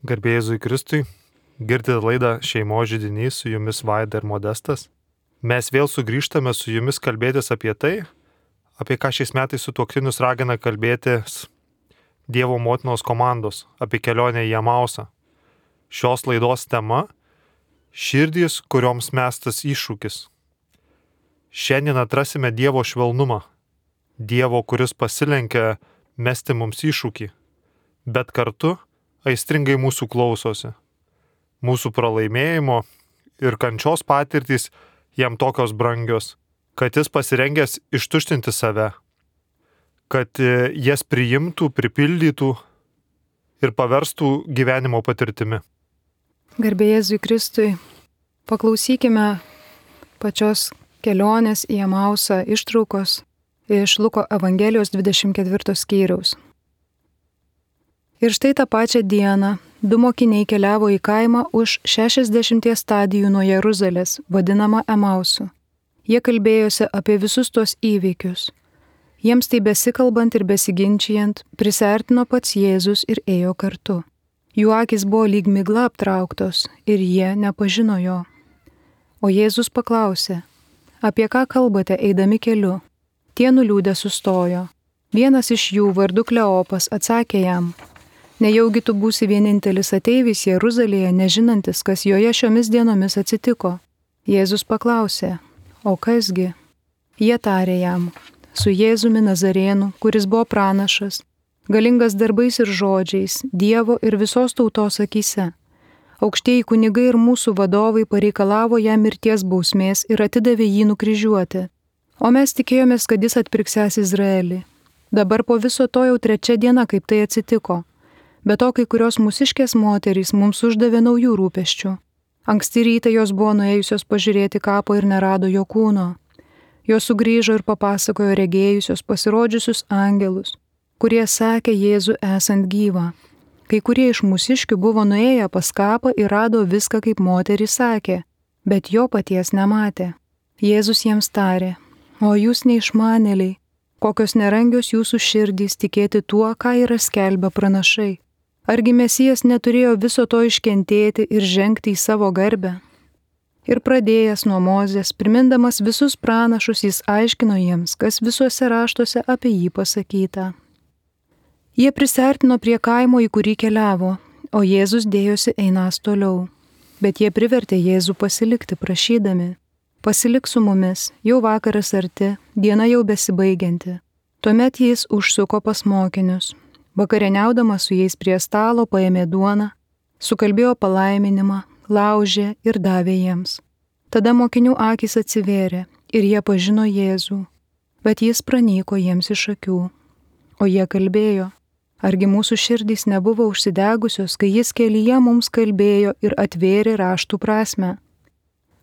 Garbė Jėzui Kristui, girdite laidą Šeimos židinys, su jumis Vaida ir Modestas. Mes vėl sugrįžtame su jumis kalbėtis apie tai, apie ką šiais metais sutuoktinius ragina kalbėtis Dievo motinos komandos, apie kelionę į Emausą. Šios laidos tema - širdys, kurioms mestas iššūkis. Šiandien atrasime Dievo švelnumą, Dievo, kuris pasilenkia mesti mums iššūkį, bet kartu aistringai mūsų klausosi. Mūsų pralaimėjimo ir kančios patirtys jam tokios brangios, kad jis pasirengęs ištuštinti save, kad jas priimtų, pripildytų ir paverstų gyvenimo patirtimi. Garbė Jėzui Kristui, paklausykime pačios kelionės į Emausą ištraukos iš Luko Evangelijos 24 skyriaus. Ir štai tą pačią dieną 2 mokiniai keliavo į kaimą už 60 stadijų nuo Jeruzalės, vadinamą Emausu. Jie kalbėjosi apie visus tuos įvykius. Jiems tai besikalbant ir besiginčijant, prisiartino pats Jėzus ir ėjo kartu. Jų akys buvo lyg migla aptrauktos ir jie nepažino jo. O Jėzus paklausė, apie ką kalbate eidami keliu? Tie nuliūdę sustojo. Vienas iš jų, vardu Kleopas, atsakė jam, nejaugi tu būsi vienintelis ateivis Jeruzalėje, nežinantis, kas joje šiomis dienomis atsitiko. Jėzus paklausė, o kasgi? Jie tarė jam, su Jėzumi Nazarėnu, kuris buvo pranašas, galingas darbais ir žodžiais, Dievo ir visos tautos akyse. Aukštieji kunigai ir mūsų vadovai pareikalavo jam mirties bausmės ir atidavė jį nukryžiuoti. O mes tikėjomės, kad jis atpirksęs Izraelį. Dabar po viso to jau 3 diena, kaip tai atsitiko. Be to, kai kurios mūsiškės moterys mums uždavė naujų rūpesčių. Anksti rytą jos buvo nuėjusios pažiūrėti kapo ir nerado jo kūno. Jos sugrįžo ir papasakojo regėjusios pasirodžiusius angelus, kurie sakė Jėzų esant gyvą. Kai kurie iš mūsiškių buvo nuėję pas kapą ir rado viską, kaip moteris sakė, bet jo paties nematė. Jėzus jiems tarė, o jūs neišmanėliai, kokios nerangios jūsų širdys tikėti tuo, ką yra skelbę pranašai. Argi Mesijas neturėjo viso to iškentėti ir žengti į savo garbę? Ir pradėjęs nuo Mozės, primindamas visus pranašus, jis aiškino jiems, kas visuose raštuose apie jį pasakyta. Jie prisiartino prie kaimo, į kurį keliavo, o Jėzus dėjosi einąs toliau. Bet jie privertė Jėzų pasilikti, prašydami, pasilik su mumis, jau vakaras arti, diena jau besibaigianti. Tuomet jis užsuko pas mokinius. Vakarieniaudamas su jais prie stalo paėmė duoną, sukalbėjo palaiminimą, laužė ir davė jiems. Tada mokinių akys atsivėrė ir jie pažino Jėzų, bet jis pranyko jiems iš akių. O jie kalbėjo, argi mūsų širdys nebuvo užsidegusios, kai jis kelyje mums kalbėjo ir atvėrė raštų prasmę.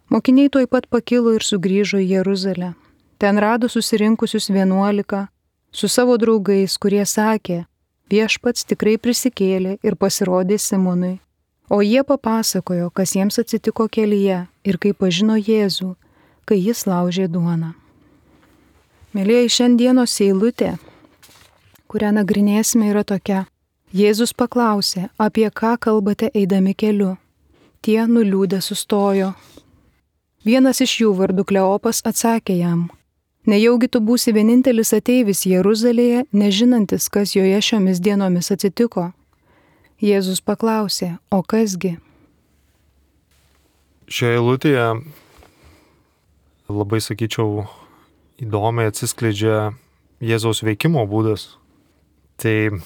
Mokiniai tuoj pat pakilo ir sugrįžo į Jeruzalę. Ten rado susirinkusius 11 su savo draugais, kurie sakė, viešpats tikrai prisikėlė ir pasirodė Simonui. O jie papasakojo, kas jiems atsitiko kelyje ir kaip pažino Jėzų, kai jis laužė duoną. Mėlyjei, šiandienos eilutė, kurią nagrinėsime, yra tokia. Jėzus paklausė, apie ką kalbate eidami keliu. Tie nuliūdę sustojo. Vienas iš jų, vardu Kleopas, atsakė jam, nejaugi tu būsi vienintelis ateivis Jeruzalėje, nežinantis, kas joje šiomis dienomis atsitiko. Jėzus paklausė, o kasgi? Šioje eilutėje labai, sakyčiau, įdomiai atsiskleidžia Jėzaus veikimo būdas. Tai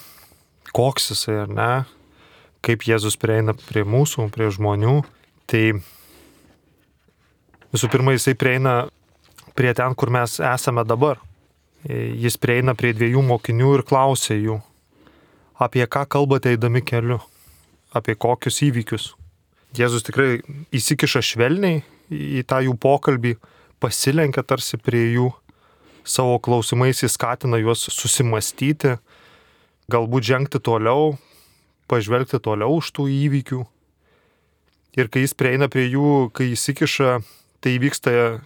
koks jisai, ar ne? Kaip Jėzus prieina prie mūsų, prie žmonių. Tai visų pirma, jisai prieina prie ten, kur mes esame dabar. Jis prieina prie 2 mokinių ir klausia jų, apie ką kalbate eidami keliu, apie kokius įvykius. Jėzus tikrai įsikiša švelniai į tą jų pokalbį, pasilenkia tarsi prie jų, savo klausimais jis skatina juos susimastyti, galbūt žengti toliau, pažvelgti toliau už tų įvykių. Ir kai jis prieina prie jų, kai įsikiša, tai vyksta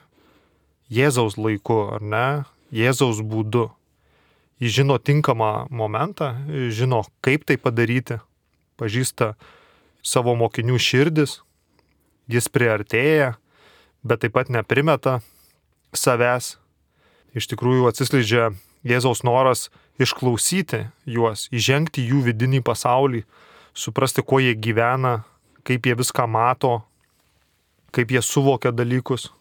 Jėzaus laiku, ar ne? Jėzaus būdu. Jis žino tinkamą momentą, žino, kaip tai padaryti, pažįsta savo mokinių širdis, jis priartėja, bet taip pat neprimeta savęs. Iš tikrųjų atsiskleidžia Jėzaus noras išklausyti juos, įžengti jų vidinį pasaulį, suprasti, kuo jie gyvena, kaip jie viską mato, kaip jie suvokia dalykus.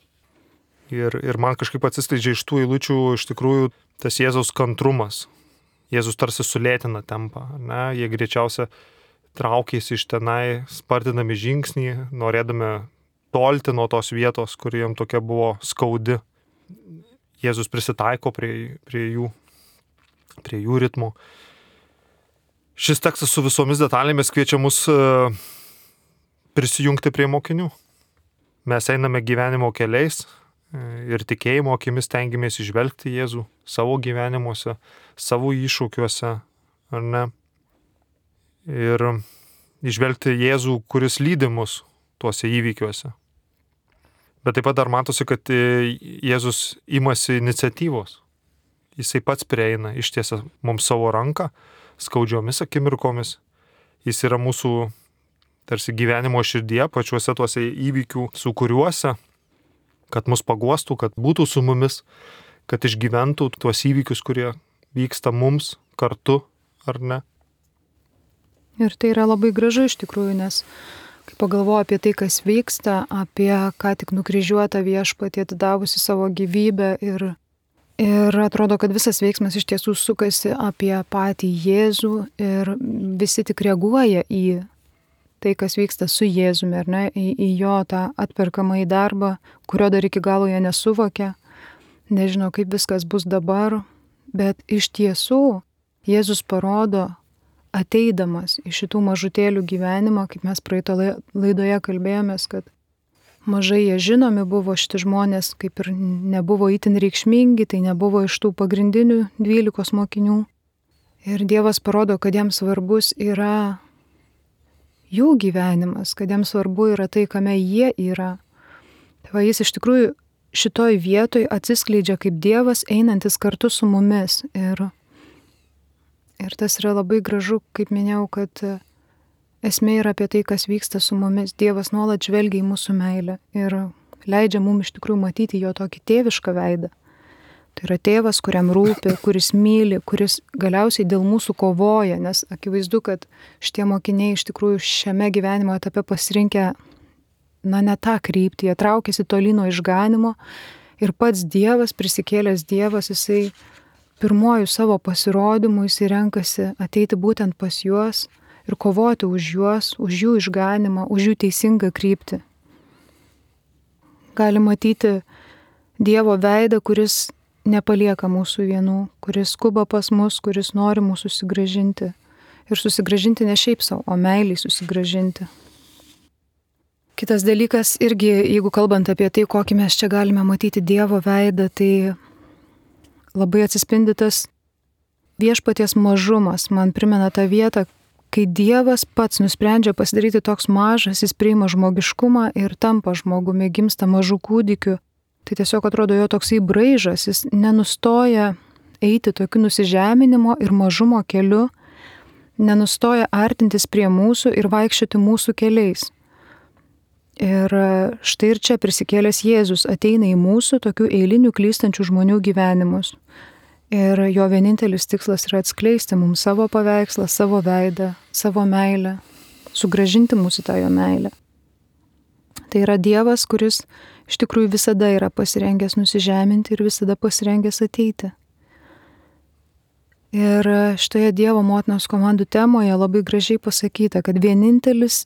Ir man kažkaip atsiskleidžia iš tų eilučių iš tikrųjų tas Jėzaus kantrumas. Jėzus tarsi sulėtina tempą, ne? Jie greičiausia traukėsi iš tenai, spartinami žingsnį, norėdami tolti nuo tos vietos, kur jiem tokia buvo skaudi. Jėzus prisitaiko prie jų ritmo. Šis tekstas su visomis detalėmis kviečia mus prisijungti prie mokinių. Mes einame gyvenimo keliais ir tikėjimo akimis stengiamės įžvelgti Jėzų savo gyvenimuose, savo iššūkiuose, ar ne? Ir įžvelgti Jėzų, kuris lydi mus tuose įvykiuose. Bet taip pat dar matosi, kad Jėzus imasi iniciatyvos. Jisai pats prieina, ištiesia mums savo ranką skaudžiomis akimirkomis. Jis yra mūsų tarsi gyvenimo širdyje, pačiuose tuose įvykių sūkuriuose, kad mus paguostų, kad būtų su mumis, kad išgyventų tuos įvykius, kurie vyksta mums kartu, ar ne? Ir tai yra labai gražu iš tikrųjų, nes kai pagalvoju apie tai, kas vyksta, apie ką tik nukryžiuotą viešpatį atidavusi savo gyvybę ir atrodo, kad visas veiksmas iš tiesų sukasi apie patį Jėzų ir visi tik reaguoja į tai, kas vyksta su Jėzumi, ar ne, į jo tą atperkamąjį darbą, kurio dar iki galo jie nesuvokia, nežino, kaip viskas bus dabar, bet iš tiesų Jėzus parodo, ateidamas į šitų mažutėlių gyvenimą, kaip mes praeito laidoje kalbėjomės, kad mažai jie žinomi buvo šitie žmonės, kaip ir nebuvo itin reikšmingi, tai nebuvo iš tų pagrindinių 12 mokinių. Ir Dievas parodo, kad jiems svarbus yra jų gyvenimas, kad jiems svarbu yra tai, kame jie yra. Tai va, jis iš tikrųjų šitoj vietoj atsiskleidžia kaip Dievas einantis kartu su mumis. Ir tas yra labai gražu, kaip minėjau, kad esmė yra apie tai, kas vyksta su mumis. Dievas nuolat žvelgia į mūsų meilę ir leidžia mums iš tikrųjų matyti jo tokį tėvišką veidą. Tai yra tėvas, kuriam rūpi, kuris myli, kuris galiausiai dėl mūsų kovoja, nes akivaizdu, kad šitie mokiniai iš tikrųjų šiame gyvenimo etape pasirinkę, ne tą kryptį, jie traukėsi tolino išganimo ir pats Dievas, prisikėlęs Dievas, jisai pirmojų savo pasirodymų jisai renkasi ateiti būtent pas juos ir kovoti už juos, už jų išganimą, už jų teisingą kryptį. Gali matyti Dievo veidą, kuris nepalieka mūsų vienų, kuris skuba pas mus, kuris nori mūsų susigrąžinti. Ir susigrąžinti ne šiaip savo, o meiliai susigrąžinti. Kitas dalykas irgi, jeigu kalbant apie tai, kokį mes čia galime matyti Dievo veidą, tai labai atsispindi tas viešpaties mažumas. Man primena tą vietą, kai Dievas pats nusprendžia pasidaryti toks mažas, jis priima žmogiškumą ir tampa žmogumi, gimsta mažų kūdikių. Tai tiesiog atrodo jo toksai braižas, jis nenustoja eiti tokiu nusižeminimo ir mažumo keliu, nenustoja artintis prie mūsų ir vaikščioti mūsų keliais. Ir štai ir čia prisikėlęs Jėzus ateina į mūsų tokių eilinių klystančių žmonių gyvenimus. Ir jo vienintelis tikslas yra atskleisti mums savo paveikslą, savo veidą, savo meilę, sugrąžinti mūsų tą jo meilę. Tai yra Dievas, kuris iš tikrųjų visada yra pasirengęs nusižeminti ir visada pasirengęs ateiti. Ir šitoje Dievo motinos komandų temoje labai gražiai pasakyta, kad vienintelis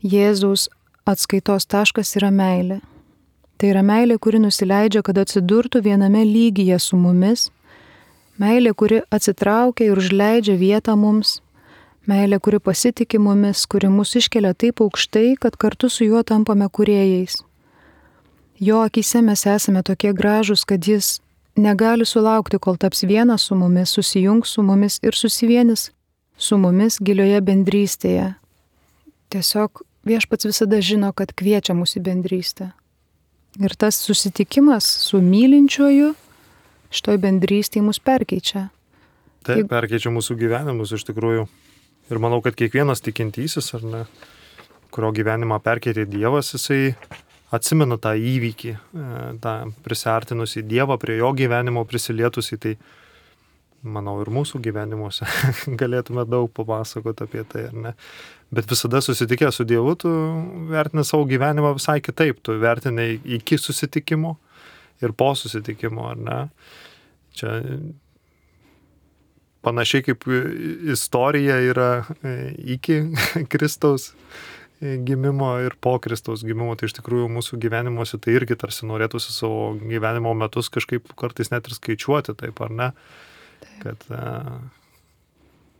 Jėzaus atskaitos taškas yra meilė. Tai yra meilė, kuri nusileidžia, kad atsidurtų viename lygyje su mumis. Meilė, kuri atsitraukia ir užleidžia vietą mums. Meilė, kuri pasitiki mumis, kuri mus iškelia taip aukštai, kad kartu su juo tampame kūrėjais. Jo akyse mes esame tokie gražūs, kad jis negali sulaukti, kol taps vienas su mumis, susijungs su mumis ir susivienis su mumis gilioje bendrystėje. Tiesiog viešpats visada žino, kad kviečia mus į bendrystę. Ir tas susitikimas su mylinčiuoju šitoj bendrystėje mus perkeičia. Taip, perkeičia mūsų gyvenimus iš tikrųjų. Ir manau, kad kiekvienas tikintysis, ar ne, kurio gyvenimą perkeitė Dievas, jisai atsimena tą įvykį, tą prisiartinusį Dievą, prie jo gyvenimo prisilietusį, tai manau ir mūsų gyvenimuose galėtume daug papasakoti apie tai, ar ne. Bet visada susitikę su Dievu, tu vertini savo gyvenimą visai kitaip, tu vertini iki susitikimo ir po susitikimo, ar ne. Čia panašiai kaip istorija yra iki Kristaus gimimo ir po Kristaus gimimo, tai iš tikrųjų mūsų gyvenimuose tai irgi tarsi norėtųsi savo gyvenimo metus kažkaip kartais net ir skaičiuoti, taip ar ne, kad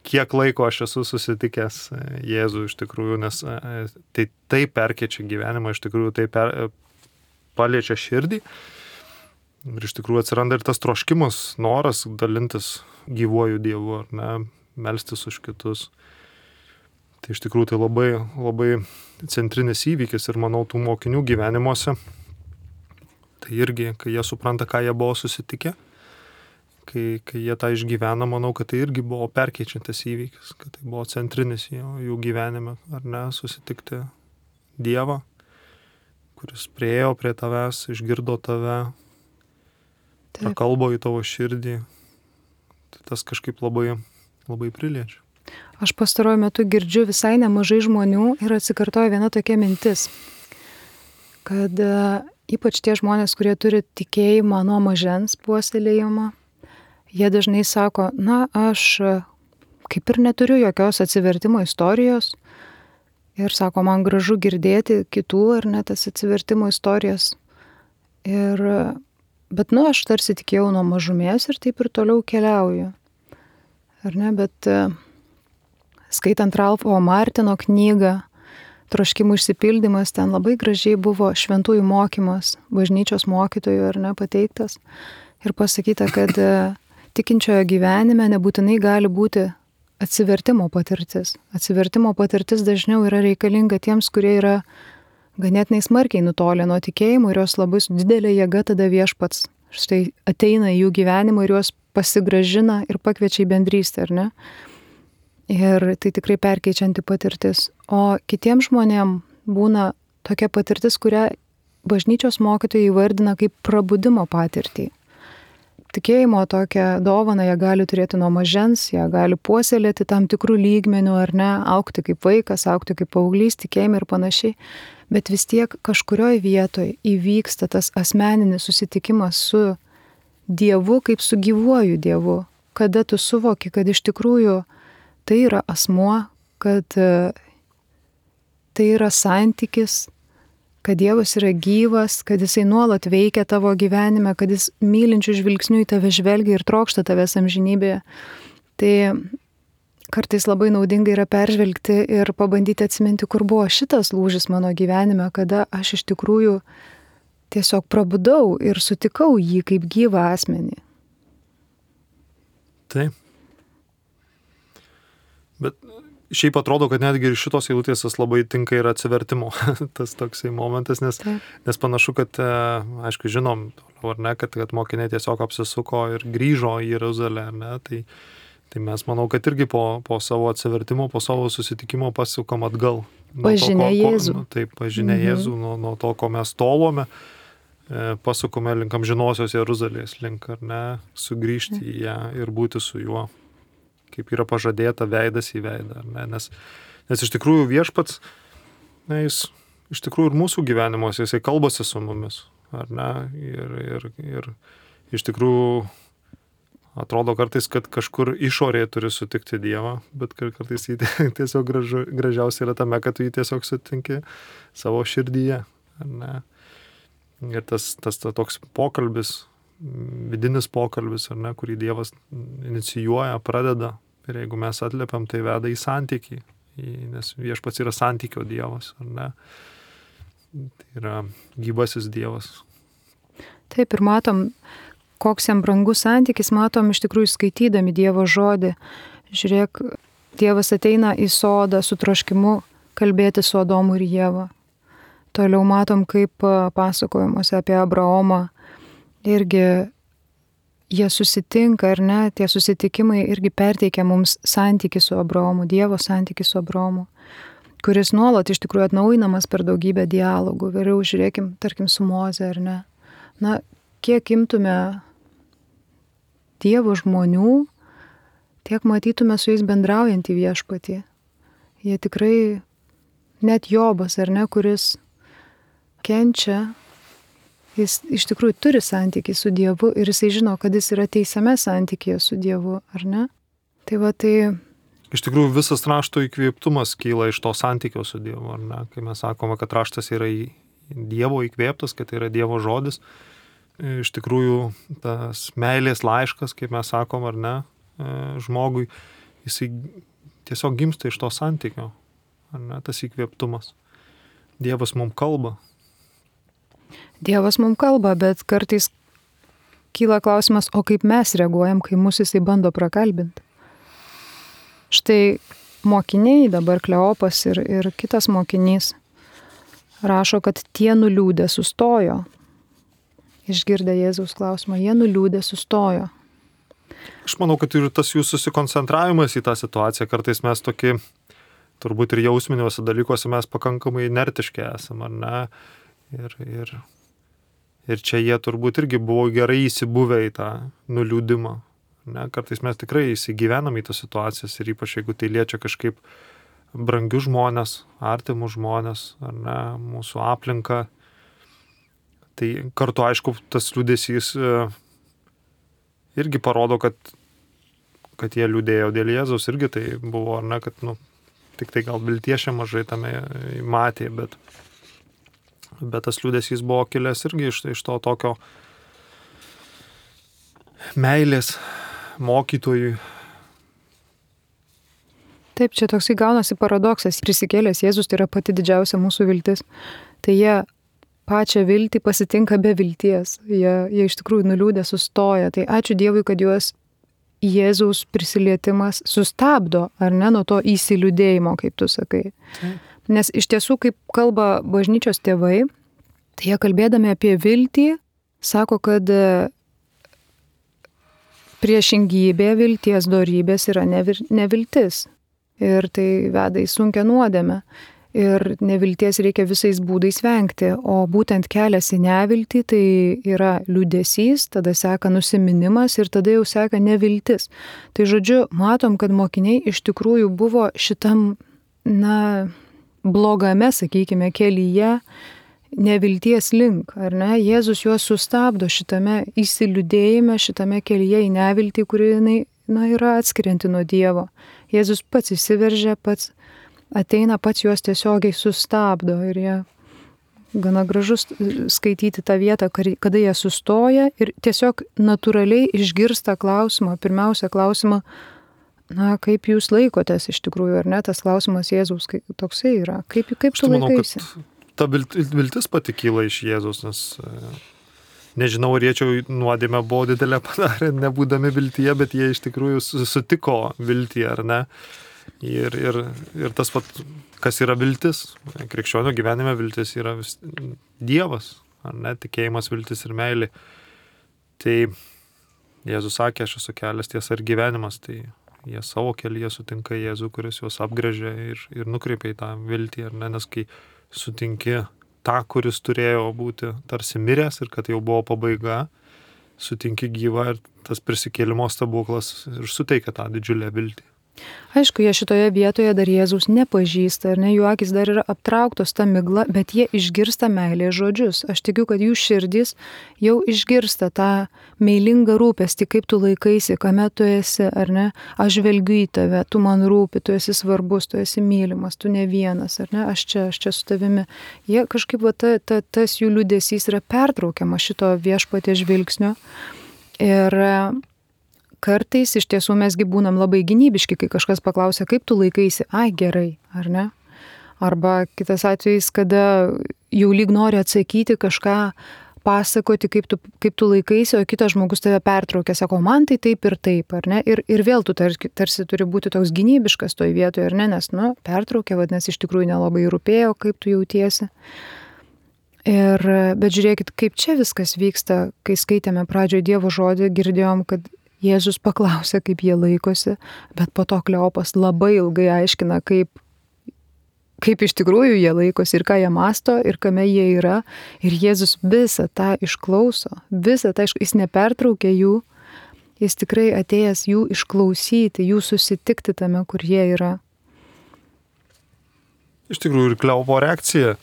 kiek laiko aš esu susitikęs Jėzų iš tikrųjų, nes tai perkeičia gyvenimą, iš tikrųjų tai paliečia širdį ir iš tikrųjų atsiranda ir tas troškimas, noras dalintis gyvuoju Dievu, ar ne, melstis už kitus. Tai iš tikrųjų tai labai, labai centrinis įvykis ir manau tų mokinių gyvenimuose. Tai irgi, kai jie supranta, ką jie buvo susitikę, kai jie tą išgyvena, manau, kad tai irgi buvo perkeičiantis įvykis, kad tai buvo centrinis jų gyvenime, ar ne, susitikti Dievą, kuris priėjo prie tavęs, išgirdo tave, prakalbo į tavo širdį. Tai tas kažkaip labai, labai priliečia. Aš pastaruoju metu girdžiu visai nemažai žmonių ir atsikartoja viena tokia mintis, kad ypač tie žmonės, kurie turi tikėjimą nuo mažens puoselėjimą, jie dažnai sako, na, aš kaip ir neturiu jokios atsivertimo istorijos ir sako, man gražu girdėti kitų ar net tas atsivertimo istorijas. Bet, aš tarsi tikėjau nuo mažumės ir taip ir toliau keliauju. Ar ne, bet skaitant Ralfo Martino knygą Troškimų išsipildymas, ten labai gražiai buvo šventųjų mokymas, bažnyčios mokytojų ar ne pateiktas ir pasakyta, kad tikinčiojo gyvenime nebūtinai gali būti atsivertimo patirtis. Atsivertimo patirtis dažniau yra reikalinga tiems, kurie yra ganėtinai smarkiai nutolę nuo tikėjimo ir jos labai su didelė jėga tada viešpats štai ateina į jų gyvenimą ir juos pasigražina ir pakviečia į bendrystę, ar ne? Ir tai tikrai perkeičianti patirtis. O kitiems žmonėm būna tokia patirtis, kurią bažnyčios mokytojai įvardina kaip prabudimo patirtį. Tikėjimo tokią dovaną jie gali turėti nuo mažens, jie gali puoselėti tam tikrų lygmenių, ar ne, augti kaip vaikas, augti kaip paauglys, tikėjime ir panašiai. Bet vis tiek kažkurioje vietoje įvyksta tas asmeninis susitikimas su Dievu kaip su gyvuoju Dievu, kada tu suvoki, kad iš tikrųjų tai yra asmuo, kad tai yra santykis, kad Dievas yra gyvas, kad jisai nuolat veikia tavo gyvenime, kad jis mylinčių žvilgsnių į tave žvelgia ir trokšta tavęs amžinybėje. Tai kartais labai naudinga yra peržvelgti ir pabandyti atsiminti, kur buvo šitas lūžis mano gyvenime, kada aš iš tikrųjų tiesiog prabudau ir sutikau jį kaip gyvą asmenį. Taip. Bet šiaip atrodo, kad netgi ir šitos eilutės labai tinka ir atsivertimo tas toksai momentas, nes panašu, kad, aišku, žinom, ar ne, kad mokiniai tiesiog apsisuko ir grįžo į Jeruzalę, ar ne, tai mes manau, kad irgi po savo atsivertimo, po savo susitikimo pasukam atgal. Pažinę Jėzų. Taip, pažinę Jėzų, nuo to, ko mes tolome, pasukome link amžinosios Jeruzalės, link, ar ne, sugrįžti į ją ir būti su juo, kaip yra pažadėta veidas į veidą, ar ne? Nes iš tikrųjų viešpats, jis iš tikrųjų ir mūsų gyvenimuose, jisai kalbasi su mumis, ar ne? Ir iš tikrųjų atrodo kartais, kad kažkur išorėje turi sutikti Dievą, bet kartais jį tiesiog gražiausia yra tame, kad tu jį tiesiog sutinki savo širdyje, ar ne? Ir tas toks pokalbis, vidinis pokalbis, ar ne, kurį Dievas inicijuoja, pradeda. Ir jeigu mes atliepiam, tai veda į santykį, nes viešpats yra santykio Dievas, ar ne? Tai yra gyvasis Dievas. Taip, ir matom, koks jam brangus santykis, matom iš tikrųjų skaitydami Dievo žodį. Žiūrėk, Dievas ateina į sodą su troškimu kalbėti su Adomu ir Ieva. Toliau matom, kaip pasakojimuose apie Abraomą irgi jie susitinka, ar ne, tie susitikimai irgi perteikia mums santykį su Abraomu, Dievo santykį su Abraomu. kuris nuolat iš tikrųjų atnaujinamas per daugybę dialogų. Vėliau žiūrėkim, tarkim, su Moze, ar ne? Na, kiek imtume Dievo žmonių, tiek matytume su jais bendraujantį viešpatį. Jie tikrai, net Jobas, ar ne, kuris kenčia, jis iš tikrųjų turi santykį su Dievu ir jisai žino, kad jis yra teisiame santykyje su Dievu, ar ne? Tai iš tikrųjų visas rašto įkvėptumas kyla iš to santykio su Dievu, ar ne? Kai mes sakome, kad raštas yra Dievo įkvėptas, kad tai yra Dievo žodis, iš tikrųjų tas meilės laiškas, kaip mes sakom, ar ne, žmogui, jisai tiesiog gimsta iš to santykio, ar ne, tas įkvėptumas. Dievas mums kalba. Dievas mums kalba, bet kartais kyla klausimas, o kaip mes reaguojam, kai mus jisai bando prakalbinti. Štai mokiniai, dabar Kleopas ir kitas mokinys, rašo, kad tie nuliūdę sustojo. Išgirdę Jėzaus klausimą, jie nuliūdę sustojo. Aš manau, kad ir tas jų susikoncentravimas į tą situaciją, kartais mes tokie, turbūt ir jausminiuose dalykuose mes pakankamai inertiški esame, ar ne? Ir čia jie turbūt irgi buvo gerai įsibuvę į tą nuliūdimą. Ne? Kartais mes tikrai įsigyvenam į tas situacijas ir ypač jeigu tai liečia kažkaip brangius žmonės, artimus žmonės, ar ne, mūsų aplinką. Tai kartu, aišku, tas liūdesys irgi parodo, kad jie liūdėjo dėl Jėzaus, irgi tai buvo, ar ne, kad, tik tai gal vilties čia mažai tame matė, bet tas liūdesys buvo kilęs irgi iš to tokio meilės mokytojui. Taip, čia toksai gaunasi paradoksas. Prisikėlęs Jėzus tai yra pati didžiausia mūsų viltis. Tai jie pačią viltį pasitinka be vilties. Jie iš tikrųjų nuliūdę sustoja. Tai ačiū Dievui, kad juos Jėzaus prisilietimas sustabdo, ar ne, nuo to įsiliūdėjimo, kaip tu sakai. Nes iš tiesų, kaip kalba bažnyčios tėvai, tai jie kalbėdami apie viltį, sako, kad priešingybė vilties dorybės yra neviltis. Ir tai veda į sunkią nuodėmę. Ir nevilties reikia visais būdais vengti, o būtent kelias į neviltį tai yra liūdesys, tada seka nusiminimas ir tada jau seka neviltis. Tai žodžiu, matom, kad mokiniai iš tikrųjų buvo šitam, blogame, sakykime, kelyje nevilties link, ar ne? Jėzus juos sustabdo šitame įsiliūdėjime, šitame kelyje į neviltį, kuri yra atskirianti nuo Dievo. Jėzus pats įsiveržia, pats ateina, pats juos tiesiogiai sustabdo ir jie gana gražus skaityti tą vietą, kada jie sustoja ir tiesiog natūraliai išgirsta klausimą, pirmiausia klausimą, kaip jūs laikotės iš tikrųjų, ar ne, tas klausimas Jėzaus toksai yra, kaip tu laikaisi? Manau, kad ta viltis pati kyla iš Jėzus, nes nežinau, ar jie čia nuodėmę buvo didelę padarę, nebūdami viltyje, bet jie iš tikrųjų sutiko viltį, ar ne? Ir tas pat, kas yra viltis, krikščionio gyvenime viltis yra Dievas, ar ne, tikėjimas, viltis ir meilė. Tai Jėzus sakė, aš esu kelias, tiesa ir gyvenimas, tai jie savo kelyje sutinka Jėzų, kuris juos apgręžia ir nukreipia į tą viltį, ar ne, nes kai sutinki tą, kuris turėjo būti tarsi miręs ir kad jau buvo pabaiga, sutinki gyvą ir tas prisikėlimo stebuklas ir suteikia tą didžiulę viltį. Aišku, jie šitoje vietoje dar Jėzaus nepažįsta, ar ne, jų akis dar yra aptrauktos tą miglą, bet jie išgirsta meilės žodžius. Aš tikiu, kad jų širdis jau išgirsta tą meilingą rūpestį, kaip tu laikaisi, kame tu esi, ar ne, aš žvelgiu į tave, tu man rūpi, tu esi svarbus, tu esi mylimas, tu ne vienas, ar ne, aš čia su tavimi. Jie kažkaip, tas jų liūdesys yra pertraukiamas šito viešpaties žvilgsnio. Ir kartais iš tiesų mesgi būnam labai gynybiški, kai kažkas paklausia, kaip tu laikaisi, gerai, ar ne? Arba kitas atvejis, kada jau lyg nori atsakyti kažką, pasakoti, kaip tu laikaisi, o kitas žmogus tave pertraukia, sako, man tai taip ir taip, ar ne? Ir vėl tu tarsi turi būti toks gynybiškas toj vietoje, ar ne? Nes, pertraukia, vadinasi, iš tikrųjų nelabai rūpėjo, kaip tu jautiesi. Bet žiūrėkit, kaip čia viskas vyksta, kai skaitėme pradžioje Dievo žodį, girdėjom, kad Jėzus paklausė, kaip jie laikosi, bet po to Kleopas labai ilgai aiškina, kaip iš tikrųjų jie laikosi ir ką jie masto ir kame jie yra. Ir Jėzus visą tą išklauso, visą tą jis nepertraukia jų, jis tikrai atėjęs jų išklausyti, jų susitikti tame, kur jie yra. Iš tikrųjų ir Kleopo reakcija.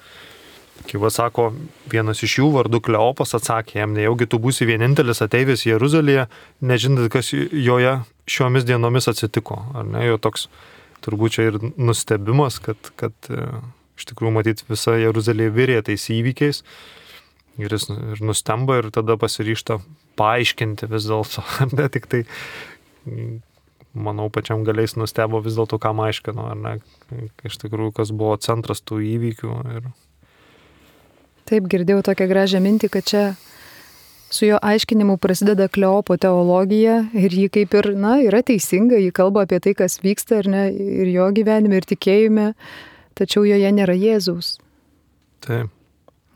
Kaip sako, vienas iš jų vardu Kleopas atsakė jam, nejaugi tu būsi vienintelis ateivis Jeruzalėje, nežinant, kas joje šiomis dienomis atsitiko. Ar ne, jo toks turbūt čia ir nustebimas, kad iš tikrųjų matyti visa Jeruzalė virė tais įvykiais ir jis ir nustemba ir tada pasiryžta paaiškinti vis dėlto, ne tik tai, manau, pačiam galiais nustebo vis dėlto, ką aiškino, ar ne, iš tikrųjų, kas buvo centras tų įvykių. Ir... Taip, girdėjau tokią gražią mintį, kad čia su jo aiškinimu prasideda Kleopo teologija ir ji kaip ir, yra teisinga, ji kalba apie tai, kas vyksta ar ne, ir jo gyvenime, ir tikėjime, tačiau joje nėra Jėzaus. Taip.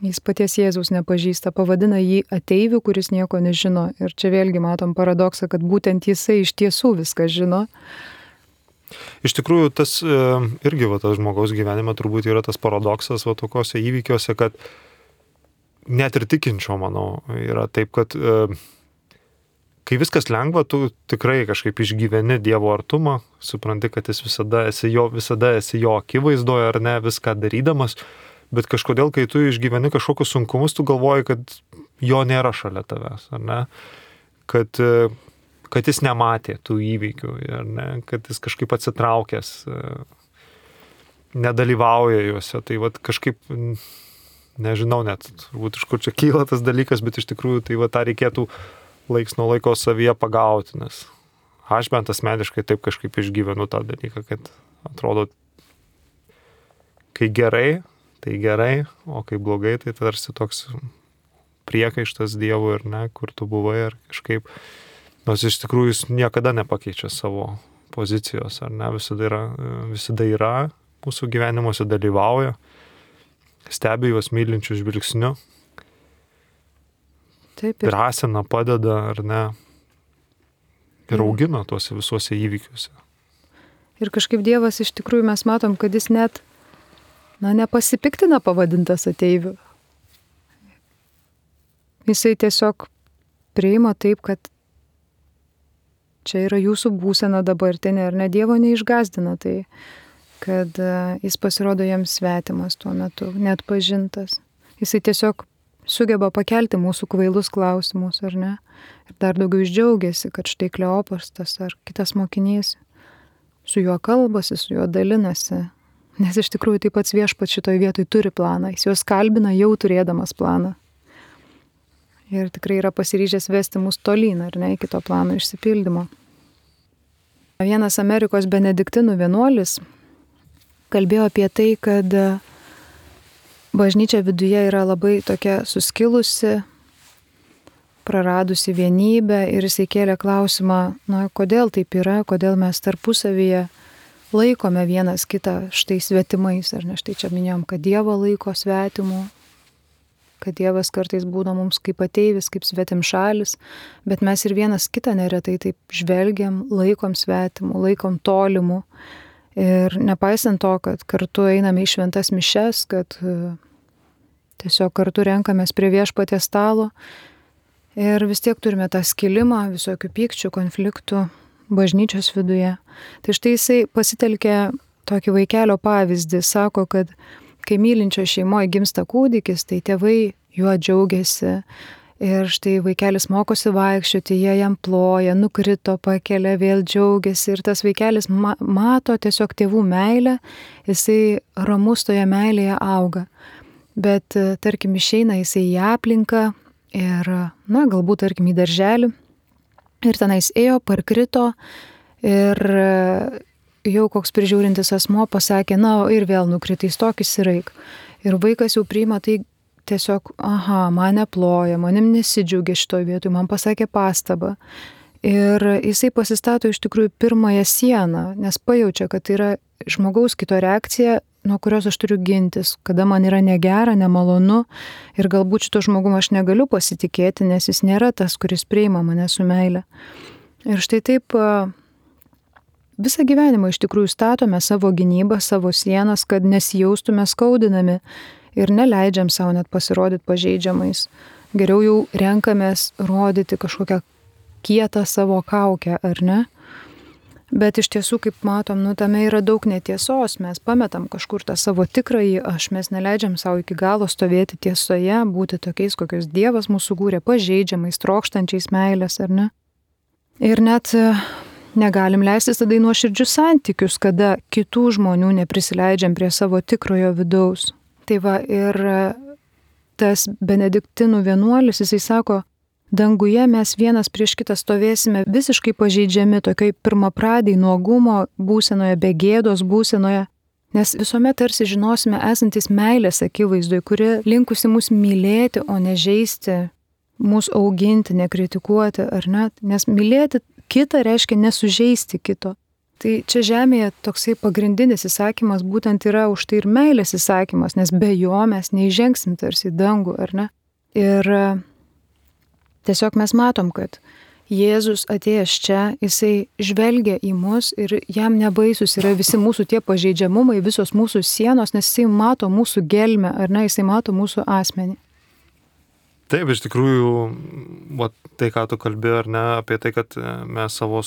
Jis paties Jėzaus nepažįsta, pavadina jį ateiviu, kuris nieko nežino. Ir čia vėlgi matom paradoksą, kad būtent jisai iš tiesų viską žino. Iš tikrųjų, tas irgi tas žmogaus gyvenime turbūt yra tas paradoksas tokiuose įvykiuose, kad net ir tikinčio, manau, yra taip, kad kai viskas lengva, tu tikrai kažkaip išgyveni Dievo artumą, supranti, kad jis visada esi jo akivaizdoje ar ne, viską darydamas, bet kažkodėl, kai tu išgyveni kažkokius sunkumus, tu galvoji, kad jo nėra šalia tavęs, ar ne, kad jis nematė tų įvykių, ar ne, kad jis kažkaip atsitraukęs, nedalyvauja juose, tai kažkaip... Nežinau net, turbūt iš kur čia kyla tas dalykas, bet iš tikrųjų tai tą reikėtų laiks nuo laiko savyje pagauti, nes aš bent asmeniškai taip kažkaip išgyvenu tą dalyką, kad atrodo, kai gerai, tai gerai, o kai blogai, tai tarsi toks priekaištas Dievui ir ne, kur tu buvai ir kažkaip, nors iš tikrųjų jis niekada nepakeičia savo pozicijos, ar ne, visada yra mūsų gyvenimuose, dalyvauja. Stebi juos mylinčių žvilgsniu, drąsina, padeda, ar ne, ir augina tuose visuose įvykiuose. Ir kažkaip Dievas iš tikrųjų mes matom, kad jis net, nepasipiktina pavadintas ateiviu. Jisai tiesiog priima taip, kad čia yra jūsų būsena dabartinė, ar ne, Dievo neišgazdina tai. Kad jis pasirodo jiems svetimas tuo metu, net pažintas. Jisai tiesiog sugeba pakelti mūsų kvailus klausimus, ar ne? Ir dar daugiau išdžiaugiasi, kad štai Kleopas tas ar kitas mokinys su juo kalbasi, su juo dalinasi. Nes iš tikrųjų taip pats viešpats šitoj vietoj turi planą. Jis juos kalbina jau turėdamas planą. Ir tikrai yra pasiryžęs vesti mus tolyn, ar ne, iki to plano išsipildymo. Vienas Amerikos benediktinų vienuolis kalbėjo apie tai, kad bažnyčia viduje yra labai tokia suskilusi, praradusi vienybę ir jisai kėlė klausimą, kodėl taip yra, kodėl mes tarpusavyje laikome vienas kitą štai svetimais, ar ne, štai čia minėjom, kad Dievą laiko svetimu, kad Dievas kartais būna mums kaip ateivis, kaip svetimšalis, bet mes ir vienas kitą neretai taip žvelgiam, laikom svetimu, laikom tolimu. Ir nepaisant to, kad kartu einame į šventas mišias, kad tiesiog kartu renkamės prie viešpaties stalo ir vis tiek turime tą skilimą, visokių pykčių, konfliktų bažnyčios viduje. Tai štai jisai pasitelkė tokį vaikelio pavyzdį, sako, kad kai mylinčio šeimoje gimsta kūdikis, tai tėvai juo džiaugiasi. Ir štai vaikelis mokosi vaikščioti, jie jam ploja, nukrito, pakelia, vėl džiaugiasi. Ir tas vaikelis mato tiesiog tėvų meilę, jisai ramus toje meilėje auga. Bet, tarkim, išeina jisai į aplinką ir, galbūt, tarkim, į darželį. Ir tenais ėjo, parkrito ir jau koks prižiūrintis asmuo pasakė, ir vėl nukritai, stokis ir eik. Ir vaikas jau priima tai, tiesiog, man neploja, manim nesidžiaugia šitoj vietoj, man pasakė pastabą. Ir jisai pasistato iš tikrųjų pirmąją sieną, nes pajaučia, kad tai yra žmogaus kito reakcija, nuo kurios aš turiu gintis, kada man yra negera, nemalonu ir galbūt šito žmogum aš negaliu pasitikėti, nes jis nėra tas, kuris priima mane su meile. Ir štai taip visą gyvenimą iš tikrųjų statome savo gynybą, savo sienas, kad nesijaustume skaudinami ir neleidžiam savo net pasirodyti pažeidžiamais. Geriau jau renkamės rodyti kažkokią kietą savo kaukę, ar ne? Bet iš tiesų, kaip matom, tame yra daug netiesos, mes pametam kažkur tą savo tikrąjį aš, mes neleidžiam savo iki galo stovėti tiesoje, būti tokiais, kokios Dievas mūsų kūrė, pažeidžiamais, trokštančiais meilės, ar ne? Ir net negalim leistis tada į nuoširdžius santykius, kada kitų žmonių neprisileidžiam prie savo tikrojo vidaus. Tai va, ir tas Benediktinų vienuolis, jisai sako, danguje mes vienas prieš kitą stovėsime visiškai pažeidžiami tokioj pirmapradiai nuogumo būsenoje, be gėdos būsenoje, nes visuomet tarsi žinosime esantis meilės akivaizdoj, kuri linkusi mus mylėti, o ne žeisti, mus auginti, nekritikuoti, ar net, nes mylėti kitą reiškia nesužeisti kito. Tai čia žemėje toksai pagrindinis įsakymas būtent yra už tai ir meilės įsakymas, nes be jo mes neįžengsim tarsi į dangų, ar ne? Ir tiesiog mes matom, kad Jėzus atėjęs čia, jisai žvelgia į mus ir jam nebaisus yra visi mūsų tie pažeidžiamumai, visos mūsų sienos, nes jisai mato mūsų gelmę, ar ne, jisai mato mūsų asmenį. Taip, iš tikrųjų, tai, ką tu kalbėjai, ar ne, apie tai, kad mes savo,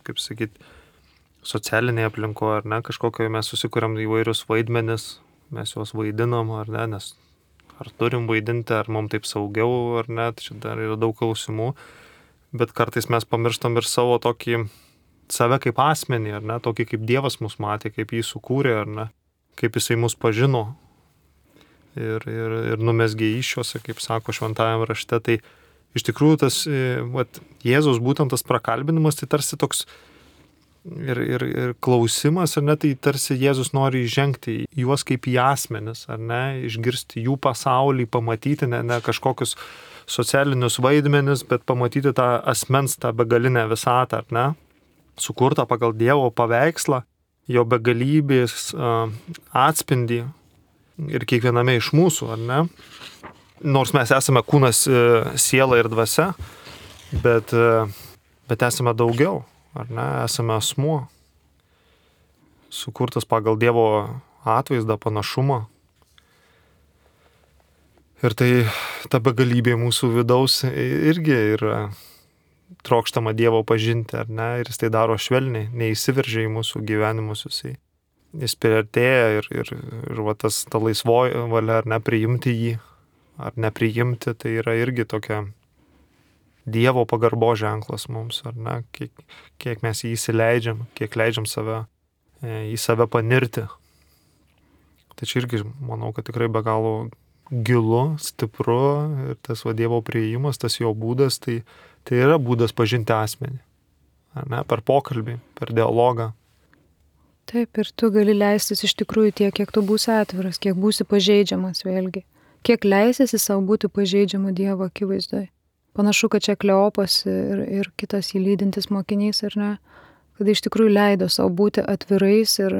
kaip sakyti, socialinėje aplinkoje, ar ne, kažkokioje mes susikuriam įvairius vaidmenis, mes juos vaidinam, ar ne, nes ar turim vaidinti, ar mums taip saugiau, ar ne, čia dar yra daug klausimų, bet kartais mes pamirštam ir savo tokį, save kaip asmenį, ar ne, tokį kaip Dievas mus matė, kaip jį sukūrė, ar ne, kaip jisai mus pažino ir numesgė iššiuose, kaip sako šventajame rašte, tai iš tikrųjų tas, Jėzaus būtent tas prakalbinimas, tai tarsi toks ir klausimas, ar ne, tai tarsi Jėzus nori įžengti į juos kaip į asmenis, ar ne, išgirsti jų pasaulį, pamatyti ne kažkokius socialinius vaidmenis, bet pamatyti tą asmens, tą begalinę visatą, ar ne, sukurtą pagal Dievo paveikslą, jo begalybės atspindį ir kiekviename iš mūsų, ar ne. Nors mes esame kūnas, siela ir dvasia, bet esame daugiau. Ar ne, esame asmuo, sukurtas pagal Dievo atvaizdą, panašumą. Ir tai ta begalybė mūsų vidaus irgi yra trokštama Dievo pažinti, ar ne, ir jis tai daro švelniai, neįsiveržia į mūsų gyvenimus, jis priartėja ir va tas ta laisvoji valia, ar ne, priimti jį, ar nepriimti, tai yra irgi tokia Dievo pagarbo ženklas mums, ar ne, kiek mes jį įsileidžiam, kiek leidžiam į save panirti. Tai čia irgi manau, kad tikrai be galo gilu, stipru ir tas Dievo priėjimas, tas jo būdas, tai yra būdas pažinti asmenį, ar ne, per pokalbį, per dialogą. Taip, ir tu gali leistis iš tikrųjų tiek, kiek tu būsi atviras, kiek būsi pažeidžiamas vėlgi, kiek leisisi savo būti pažeidžiamu Dievo akivaizdoje. Panašu, kad čia Kleopas ir kitas jį lydintis mokinys, ar ne, kad iš tikrųjų leido savo būti atvirais ir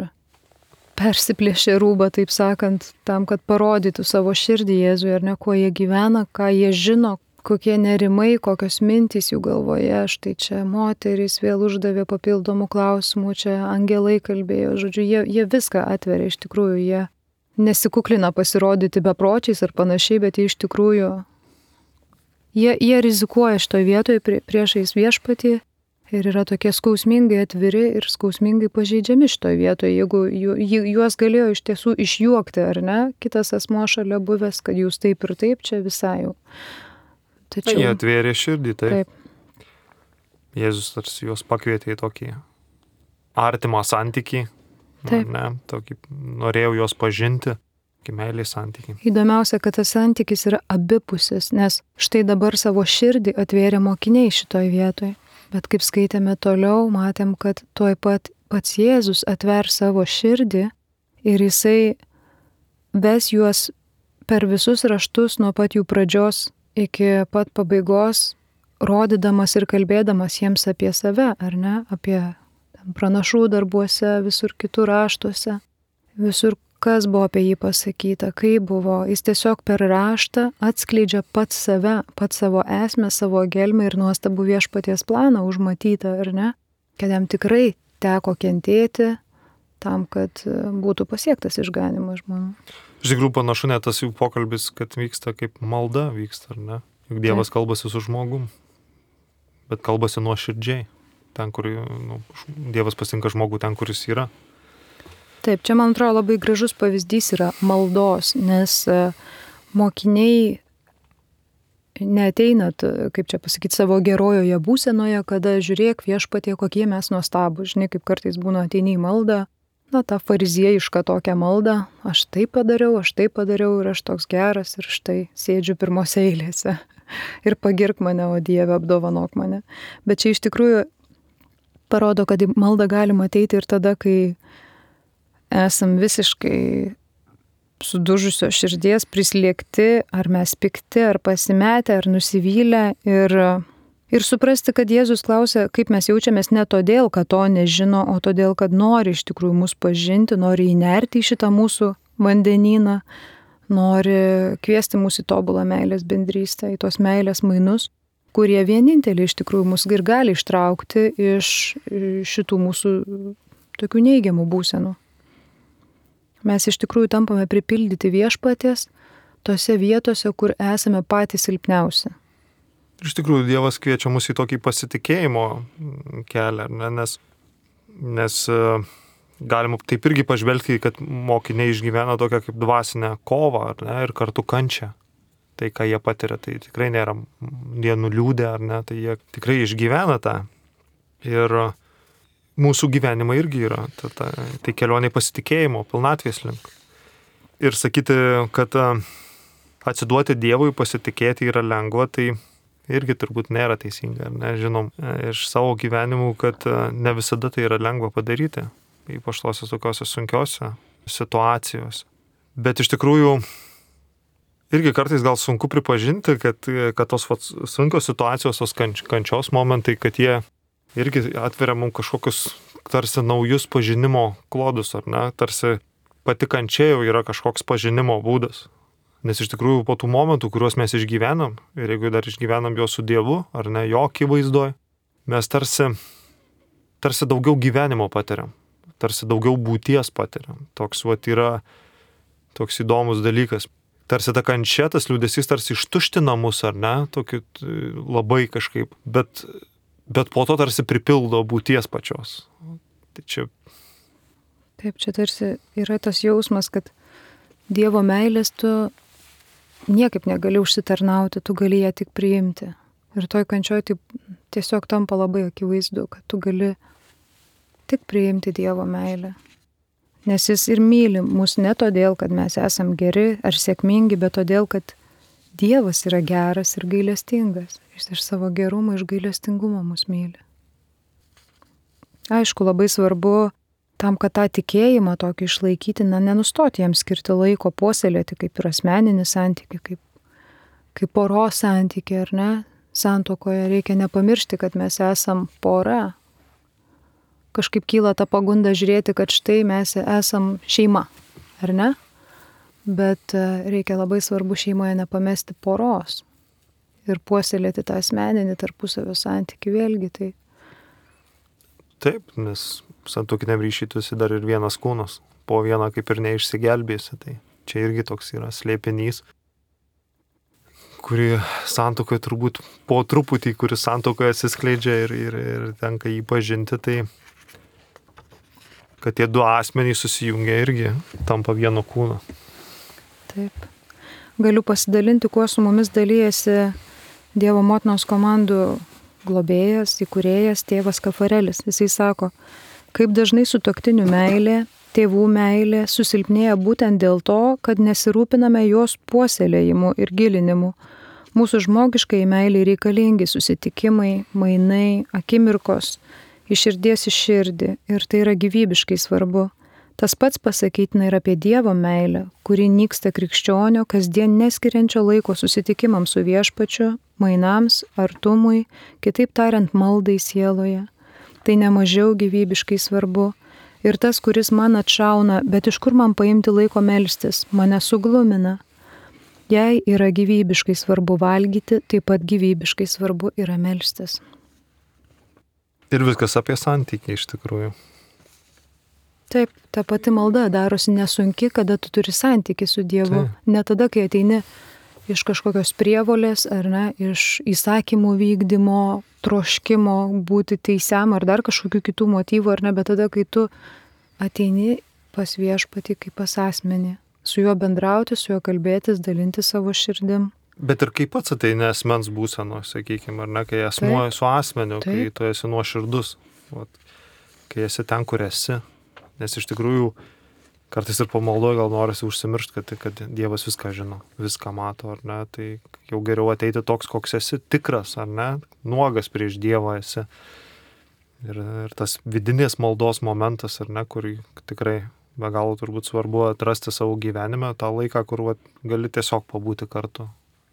persiplėšė rūbą, taip sakant, tam, kad parodytų savo širdį Jėzui, ar ne, kuo jie gyvena, ką jie žino, kokie nerimai, kokios mintys jų galvoje. Štai čia moterys vėl uždavė papildomų klausimų, čia angelai kalbėjo, žodžiu, jie viską atveria, iš tikrųjų, jie nesikuklina pasirodyti bepročiais ar panašiai, bet jie iš tikrųjų Jie rizikuoja šitoje vietoje priešais viešpatį ir yra tokie skausmingai atviri ir skausmingai pažeidžiami šitoje vietoje. Jeigu juos galėjo iš tiesų išjuokti, ar ne, kitas asmuo šalia buvęs, kad jūs taip ir taip, čia visai jau. Tačiau jie atvėrė širdį, taip. Jėzus tarsi juos pakvietė į tokį artimą santykį, ne, tokį, norėjau juos pažinti. Meilės santykiai. Įdomiausia, kad tas santykis yra abipusis, nes štai dabar savo širdį atvėrė mokiniai šitoje vietoje. Bet kaip skaitėme toliau, matėm, kad tuoj pat pats Jėzus atver savo širdį ir jisai ves juos per visus raštus nuo pat jų pradžios iki pat pabaigos, rodydamas ir kalbėdamas jiems apie save, ar ne, apie pranašų darbuose, visur kitur raštuose, visur kas buvo apie jį pasakyta, kaip buvo. Jis tiesiog per raštą atskleidžia pats save, pats savo esmę, savo gelmę ir nuostabų viešpaties planą užmatytą, ar ne? Kad jam tikrai teko kentėti tam, kad būtų pasiektas išganymas žmonių. Iš tikrųjų panašu net tas jų pokalbis, kad vyksta kaip malda vyksta, ar ne? Juk Dievas kalbasi su žmogum, bet kalbasi nuoširdžiai. Ten, kur Dievas pasitinka žmogų ten, kur jis yra. Taip, čia man atrodo labai gražus pavyzdys yra maldos, nes mokiniai neateina, kaip čia pasakyti, savo gerojoje būsenoje, kada žiūrėk viešpatie, kokie mes nuostabūs. Žinai, kaip kartais būna ateini į maldą, tą fariziejišką tokią maldą, aš tai padariau ir aš toks geras ir štai sėdžiu pirmose eilėse. Ir pagirk mane, o Dieve, apdovanok mane. Bet čia iš tikrųjų parodo, kad į maldą galima ateiti ir tada, kai esam visiškai sudužusios širdies, prislėgti, ar mes pikti, ar pasimetę, ar nusivylę. Ir suprasti, kad Jėzus klausia, kaip mes jaučiamės ne todėl, kad to nežino, o todėl, kad nori iš tikrųjų mus pažinti, nori įnerti į šitą mūsų vandenyną, nori kviesti mūsų į tobulą meilės bendrystę, į tos meilės mainus, kurie vieninteliai iš tikrųjų mus ir gali ištraukti iš šitų mūsų tokių neigiamų būsenų. Mes iš tikrųjų tampame pripildyti viešpaties tose vietose, kur esame patys silpniausi. Iš tikrųjų, Dievas kviečia mus į tokį pasitikėjimo kelią, ne? Nes galima taip irgi pažvelgti, kad mokiniai išgyvena tokią kaip dvasinę kovą, ar ne, ir kartu kančią. Tai, ką jie patiria, tai tikrai nėra jie nuliūdę, ar ne, tai jie tikrai išgyvena tą. Ir mūsų gyvenimai irgi yra tai kelionė pasitikėjimo, pilnatvės link. Ir sakyti, kad atsiduoti Dievui, pasitikėti yra lengva, tai irgi turbūt nėra teisinga. Nežinom iš savo gyvenimų, kad ne visada tai yra lengva padaryti, ypač tose tokiose sunkiose situacijose. Bet iš tikrųjų irgi kartais gal sunku pripažinti, kad tos sunkios situacijos, tos kančios momentai, kad jie irgi atveria mums kažkokius tarsi naujus pažinimo klodus, ar ne? Tarsi pati kančia jau yra kažkoks pažinimo būdas. Nes iš tikrųjų po tų momentų, kuriuos mes išgyvenam, ir jeigu dar išgyvenam juos su Dievu, ar ne, jo akivaizdoj, mes tarsi daugiau gyvenimo patiriam, tarsi daugiau būties patiriam. Toks yra toks įdomus dalykas. Tarsi ta kančia, tas liūdesys tarsi ištuština mus, ar ne, tokiu labai kažkaip, bet po to tarsi pripildo būties pačios. Tai čia... Taip, čia tarsi yra tas jausmas, kad Dievo meilės tu niekaip negali užsitarnauti, tu gali ją tik priimti. Ir toj kančioj tai tiesiog tampa labai akivaizdu, kad tu gali tik priimti Dievo meilę. Nes jis ir myli mus ne todėl, kad mes esam geri ar sėkmingi, bet todėl, kad Dievas yra geras ir gailestingas. Jis iš savo gerumo, iš gailestingumo mus myli. Aišku, labai svarbu tam, kad tą tikėjimą tokį išlaikyti, nenustoti jam skirti laiko, puoselėti kaip ir asmeninį santykį, kaip poros santykį, ar ne? Santuokoje reikia nepamiršti, kad mes esam pora. Kažkaip kyla ta pagunda žiūrėti, kad štai mes esam šeima, ar ne? Bet reikia labai svarbu šeimoje nepamesti poros ir puoselėti tą asmeninį tarpusavio santykį vėlgi. Tai... Taip, nes santuokiniam ryšiui tu esi dar ir vienas kūnas, po vieną kaip ir neišsigelbėsi, tai čia irgi toks yra slėpinys, kuri santuokoje turbūt po truputį, kuris santuokoje atsiskleidžia ir tenka jį pažinti, tai kad tie du asmenys susijungia irgi tampa vieno kūno. Taip. Galiu pasidalinti, kuo su mumis dalyjasi Dievo motinos komandų globėjas, įkūrėjas, tėvas Kafarelis. Jisai sako, kaip dažnai sutuoktinių meilė, tėvų meilė susilpnėja būtent dėl to, kad nesirūpiname jos puoselėjimu ir gilinimu. Mūsų žmogiškai meiliai reikalingi susitikimai, mainai, akimirkos, iš širdies į širdį, ir tai yra gyvybiškai svarbu. Tas pats pasakytina ir apie Dievo meilę, kuri nyksta krikščionio, kasdien neskiriančio laiko susitikimams su viešpačiu, mainams, artumui, kitaip tariant maldai sieloje. Tai nemažiau gyvybiškai svarbu. Ir tas, kuris man atšauna, bet iš kur man paimti laiko melstis, mane suglumina. Jei yra gyvybiškai svarbu valgyti, taip pat gyvybiškai svarbu yra melstis. Ir viskas apie santykį iš tikrųjų. Taip, ta pati malda darosi nesunki, kada tu turi santykį su Dievu. Taip. Ne tada, kai ateini iš kažkokios prievolės, ar ne, iš įsakymų vykdymo, troškimo būti teisiam, ar dar kažkokių kitų motyvų, ar ne, bet tada, kai tu ateini pas Viešpatį kaip pas asmenį, su juo bendrauti, su juo kalbėtis, dalinti savo širdim. Bet ir kaip pats ateini asmens būseno, sakykime, ar ne, kai asmuo su asmeniu, kai tu esi nuoširdus, kai esi ten, kur esi. Nes iš tikrųjų kartais ir pamaldoje gal norisi užsimiršti, kad Dievas viską žino, viską mato, ar ne, tai jau geriau ateiti toks, koks esi, tikras, ar ne, nuogas prieš Dievą esi. Ir tas vidinės maldos momentas, ar ne, kur tikrai be galo turbūt svarbu atrasti savo gyvenime, tą laiką, kur gali tiesiog pabūti kartu,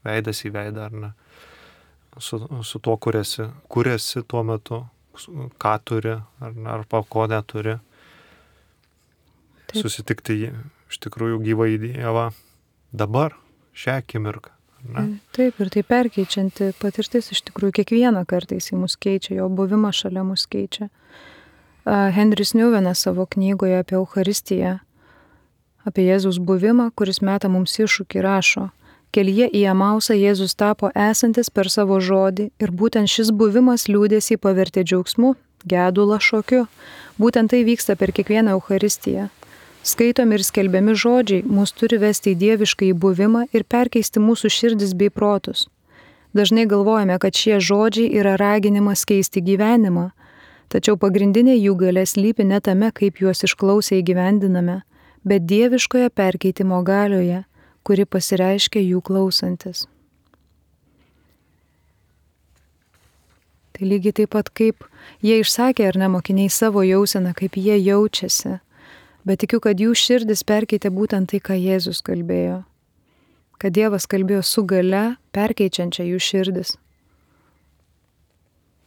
veidas į veidą, ar ne, su tuo, kur esi tuo metu, ką turi, ar ne, arba ko neturi. Taip. Susitikti iš tikrųjų gyvą į Dievą dabar, šią akimirką. Ne? Taip, ir tai perkeičianti patirtis iš tikrųjų kiekvieną kartą jis mus keičia, jo buvimas šalia mus keičia. Henris Newmanas savo knygoje apie Eucharistiją, apie Jėzaus buvimą, kuris meta mums iššūkį, rašo: kelyje į Emausą Jėzus tapo esantis per savo žodį ir būtent šis buvimas liūdesį pavertė džiaugsmu, gedulą šokiu. Būtent tai vyksta per kiekvieną Eucharistiją. Skaitomi ir skelbiami žodžiai mus turi vesti į dievišką įbuvimą ir perkeisti mūsų širdis bei protus. Dažnai galvojame, kad šie žodžiai yra raginimas keisti gyvenimą, tačiau pagrindinė jų galia slypi ne tame, kaip juos išklausę įgyvendiname, bet dieviškoje perkeitimo galioje, kuri pasireiškia jų klausantis. Tai lygiai taip pat, kaip jie išsakė ar ne mokiniai savo jauseną, kaip jie jaučiasi. Bet tikiu, kad jų širdis perkeitė būtent tai, ką Jėzus kalbėjo. Kad Dievas kalbėjo su galia, perkeičiančia jų širdis.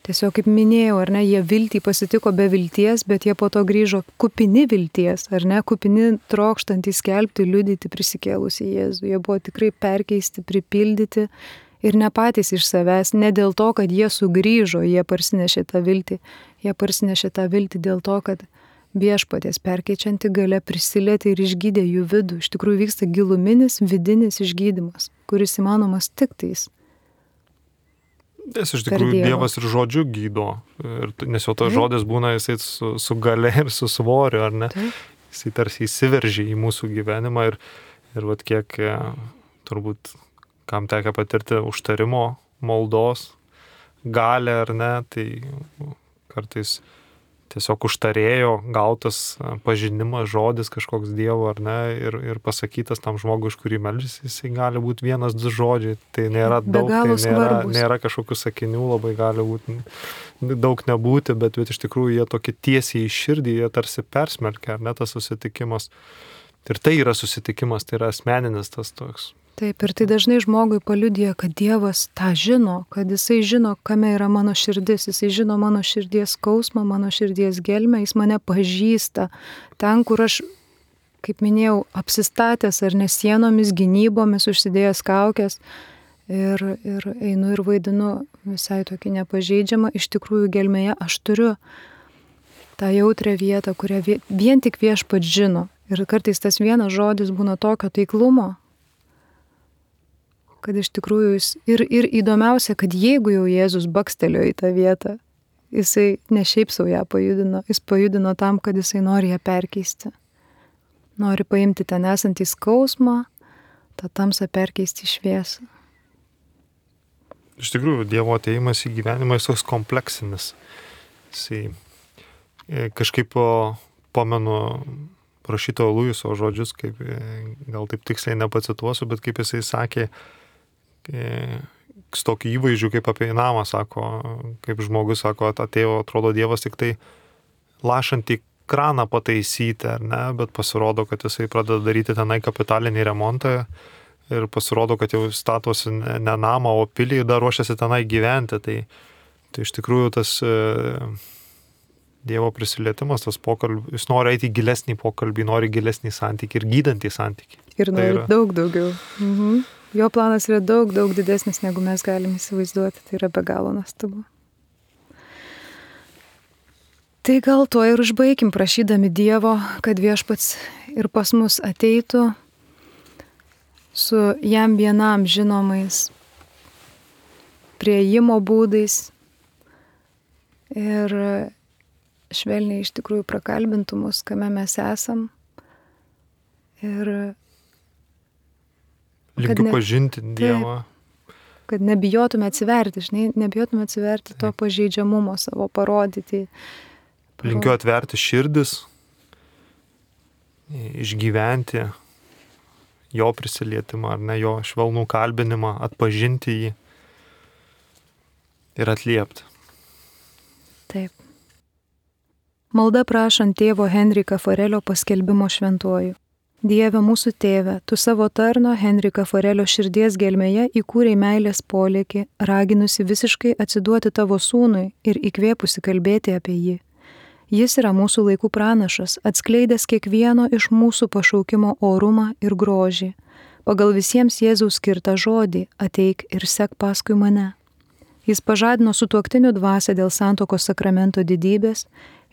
Tiesiog, kaip minėjau, ar ne, jie viltį pasitiko be vilties, bet jie po to grįžo kupini vilties, ar ne, kupini trokštantys skelbti, liudyti prisikėlusį Jėzų. Jie buvo tikrai perkeisti, pripildyti ir ne patys iš savęs, ne dėl to, kad jie sugrįžo, jie parsinešė tą viltį. Jie parsinešė tą viltį dėl to, kad Viešpaties perkeičianti galia prisilietė ir išgydė jų vidų. Iš tikrųjų vyksta giluminis, vidinis išgydymas, kuris įmanomas tik tais. Nes iš tikrųjų Dievas ir žodžiu gydo. Nes jau tas žodis būna jisai su galia ir su svoriu, ar ne? Taip. Jisai tarsi įsiveržia į mūsų gyvenimą ir vat kiek turbūt kam tekia patirti užtarimo, maldos, galę, ar ne, tai kartais tiesiog užtarėjo gautas pažinimas, žodis kažkoks Dievo, ar ne, ir pasakytas tam žmogui, iš kurį meldžiasi, jisai gali būti 1-2 žodžiai, tai nėra daug, tai nėra kažkokių sakinių, labai gali būti, daug nebūti, bet iš tikrųjų jie tokie tiesiai į širdį, jie tarsi persmelkia, ar ne, tas susitikimas. Ir tai yra susitikimas, tai yra asmeninis tas toks. Taip, ir tai dažnai žmogui paliudija, kad Dievas tą žino, kad jisai žino, kame yra mano širdis, jisai žino mano širdies skausmą, mano širdies gelmę, jis mane pažįsta. Ten, kur aš, kaip minėjau, apsistatęs ar ne sienomis, gynybomis, užsidėjęs kaukės ir einu ir vaidinu visai tokį nepažeidžiamą, iš tikrųjų gelmėje aš turiu tą jautrią vietą, kurią vien tik Viešpats žino. Ir kartais tas vienas žodis būna tokio taiklumo, kad iš tikrųjų jis ir įdomiausia, kad jeigu jau Jėzus bakstelėjo į tą vietą, jisai ne šiaip savo ją pajudino, jis pajudino tam, kad jisai nori ją perkeisti. Nori paimti ten esantį skausmą, tą tamsą perkeisti į šviesą. Iš tikrųjų, Dievo atėjimas į gyvenimą jis toks kompleksinis. Jisai kažkaip pamenu prašytojo Luiso žodžius, kaip, gal taip tiksliai nepacituosiu, bet kaip jisai sakė, su tokiu įvaizdžiu kaip apie namą, sako, kaip žmogus sako, atėjo, atrodo Dievas tik tai lašantį kraną pataisyti, ar ne, bet pasirodo, kad jisai pradeda daryti tenai kapitalinį remontą ir pasirodo, kad jau statosi ne namą, o pilį ir dar ruošiasi tenai gyventi. Tai iš tikrųjų tas Dievo prisilietimas, tas pokalbis, jis nori eiti į gilesnį pokalbį, nori gilesnį santykį ir gydantį santykį. Ir nori daug daugiau. Mhm. Jo planas yra daug didesnis, negu mes galime įsivaizduoti. Tai yra be galo nuostabu. Tai gal tuo ir užbaigim, prašydami Dievo, kad Viešpats ir pas mus ateitų su jam vienam žinomais prieimo būdais ir švelniai iš tikrųjų prakalbintų mus, kame mes esam. Ir linkiu pažinti Dievą. Kad nebijotume atsiverti, nebijotume atsiverti to pažeidžiamumo savo, parodyti. Linkiu atverti širdis, išgyventi jo prisilietimą, ar ne, jo švelnų kalbinimą, atpažinti jį ir atliepti. Taip. Malda prašant tėvo Henrika Forelio paskelbimo šventuoju. Dieve mūsų tėve, tu savo tarno Henrika Forelio širdies gelmėje įkūrei meilės polėkį, raginusi visiškai atsiduoti tavo sūnui ir įkvėpusi kalbėti apie jį. Jis yra mūsų laikų pranašas, atskleidęs kiekvieno iš mūsų pašaukimo orumą ir grožį. Pagal visiems Jėzaus skirtą žodį ateik ir sek paskui mane. Jis pažadino sutuoktinių dvasią dėl santuokos sakramento didybės,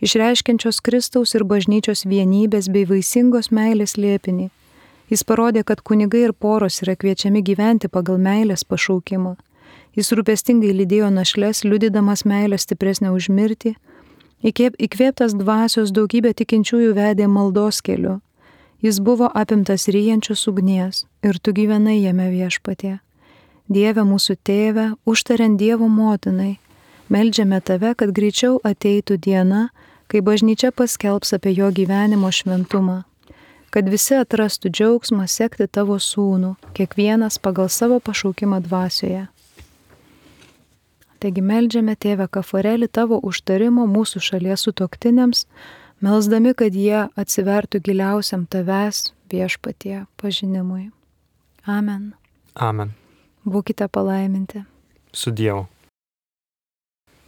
išreiškiančios Kristaus ir bažnyčios vienybės bei vaisingos meilės slėpinį. Jis parodė, kad kunigai ir poros yra kviečiami gyventi pagal meilės pašaukimą. Jis rūpestingai lydėjo našles, liudydamas meilę stipresnę už mirtį. Įkvėptas dvasios daugybė tikinčiųjų vedė maldos keliu. Jis buvo apimtas ryjančios ugnies ir tu gyvenai jame Viešpatie. Dieve mūsų tėve, užtariant Dievo motinai, meldžiame tave, kad greičiau ateitų diena, kai bažnyčia paskelbs apie jo gyvenimo šventumą, kad visi atrastų džiaugsmą sekti tavo sūnų, kiekvienas pagal savo pašaukimą dvasioje. Taigi meldžiame tėve Kaforelį tavo užtarimo mūsų šalies sutuoktiniams, melsdami, kad jie atsivertų giliausiam tavęs Viešpatie pažinimui. Amen. Amen. Būkite palaiminti. Su Dievu.